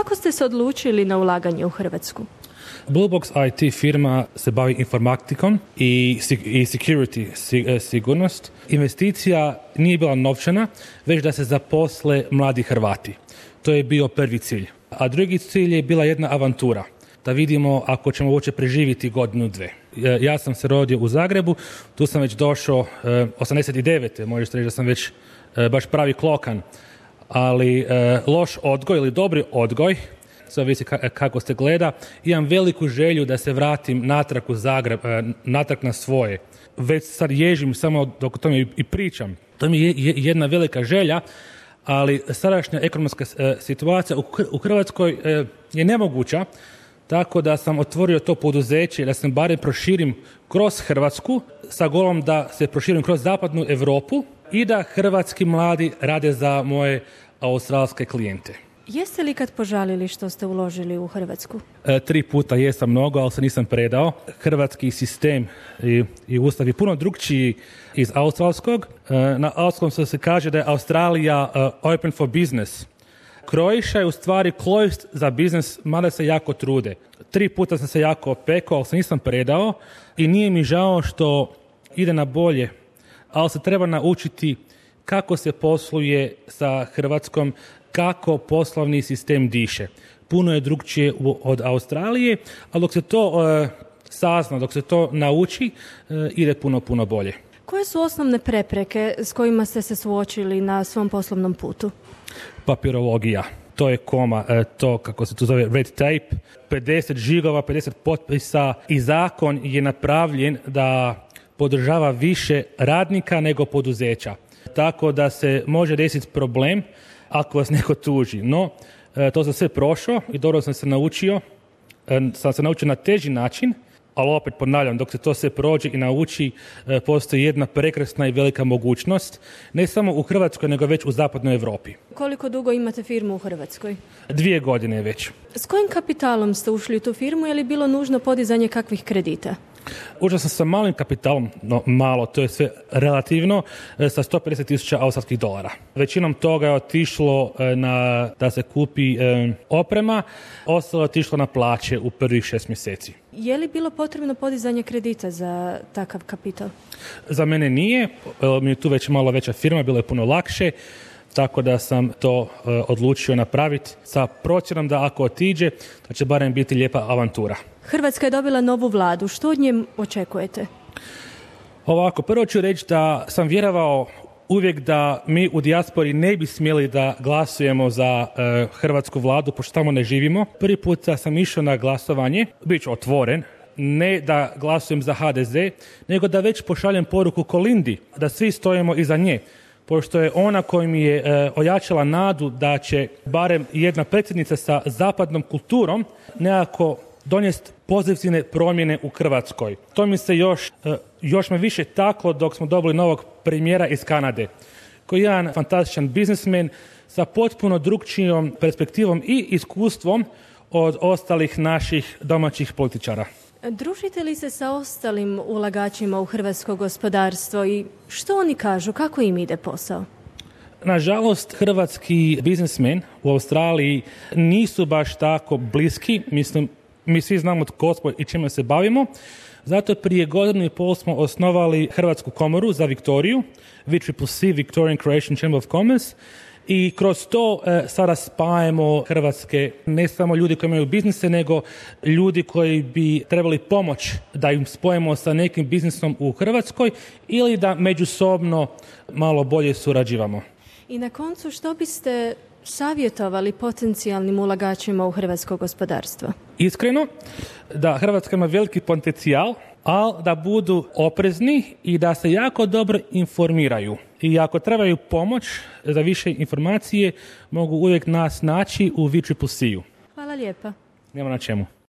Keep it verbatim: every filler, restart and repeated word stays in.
Kako ste se odlučili na ulaganje u Hrvatsku? Bluebox I T firma se bavi informatikom i, i security, sigurnost. Investicija nije bila novčana, već da se zaposle mladi Hrvati. To je bio prvi cilj. A drugi cilj je bila jedna avantura. Da vidimo ako ćemo uopće preživjeti godinu, dve. Ja sam se rodio u Zagrebu, tu sam već došao osamdeset devete Možete reći da sam već baš pravi klokan. Ali loš odgoj ili dobri odgoj, sve ovisi kako se gleda, imam veliku želju da se vratim natrag u Zagreb, natrag na svoje. Već sad ježim samo dok o tome i pričam. To mi je jedna velika želja, ali sadašnja ekonomska situacija u Hrvatskoj je nemoguća, tako da sam otvorio to poduzeće da se barem proširim kroz Hrvatsku sa golom da se proširim kroz zapadnu Europu i da hrvatski mladi rade za moje australske klijente. Jeste li kad požalili što ste uložili u Hrvatsku? E, tri puta jesam mnogo, ali se nisam predao. Hrvatski sistem i, i ustav je puno drugčiji iz australskog. E, na australskom se kaže da je Australija uh, open for business. Croatia je u stvari closed za biznis, mada se jako trude. Tri puta sam se jako opekao, ali se nisam predao i nije mi žao što ide na bolje, ali se treba naučiti kako se posluje sa Hrvatskom, kako poslovni sistem diše. Puno je drugčije od Australije, ali dok se to uh, sazna, dok se to nauči, uh, ide puno, puno bolje. Koje su osnovne prepreke s kojima ste se suočili na svom poslovnom putu? Papirologija. To je koma, to kako se to zove red tape, pedeset žigova, pedeset potpisa i zakon je napravljen da podržava više radnika nego poduzeća. Tako da se može desiti problem ako vas neko tuži. No, to sam sve prošao i dobro sam se naučio. Sam se naučio na teži način, ali opet ponavljam, dok se to sve prođe i nauči, postoji jedna prekrasna i velika mogućnost, ne samo u Hrvatskoj, nego već u zapadnoj Europi. Koliko dugo imate firmu u Hrvatskoj? Dvije godine već. S kojim kapitalom ste ušli u tu firmu, je li bilo nužno podizanje kakvih kredita? Ušao sam sa malim kapitalom, no malo, to je sve relativno, sa sto pedeset tisuća australskih dolara. Većinom toga je otišlo na, da se kupi e, oprema, ostalo je otišlo na plaće u prvih šest mjeseci. Je li bilo potrebno podizanje kredita za takav kapital? Za mene nije, mi je tu već malo veća firma, bilo je puno lakše, tako da sam to e, odlučio napraviti sa procjenom da ako otiđe, da će barem biti lijepa avantura. Hrvatska je dobila novu vladu. Što od nje očekujete? Ovako, prvo ću reći da sam vjerovao uvijek da mi u dijaspori ne bi smjeli da glasujemo za e, hrvatsku vladu, pošto tamo ne živimo. Prvi put sam išao na glasovanje, bit ću otvoren, ne da glasujem za ha de ze, nego da već pošaljem poruku Kolindi, da svi stojimo iza nje, pošto je ona koja mi je e, ojačala nadu da će barem jedna predsjednica sa zapadnom kulturom nekako donijeti pozitivne promjene u Hrvatskoj. To mi se još, još me više taklo dok smo dobili novog premijera iz Kanade, koji je jedan fantastičan biznismen sa potpuno drukčijom perspektivom i iskustvom od ostalih naših domaćih političara. Družite li se sa ostalim ulagačima u hrvatsko gospodarstvo i što oni kažu, kako im ide posao? Nažalost, hrvatski biznismen u Australiji nisu baš tako bliski, mislim, mi svi znamo tko smo i čime se bavimo. Zato prije godinu i pol smo osnovali Hrvatsku komoru za Viktoriju, V C C C, Victorian Croatian Chamber of Commerce, i kroz to e, sada spajamo hrvatske, ne samo ljudi koji imaju biznise, nego ljudi koji bi trebali pomoć da im spojimo sa nekim biznisom u Hrvatskoj ili da međusobno malo bolje surađivamo. I na koncu, što biste savjetovali potencijalnim ulagačima u hrvatsko gospodarstvo? Iskreno, da Hrvatska ima veliki potencijal, ali da budu oprezni i da se jako dobro informiraju. I ako trebaju pomoć za više informacije, mogu uvijek nas naći u V C C C-u. Hvala lijepa. Nema na čemu.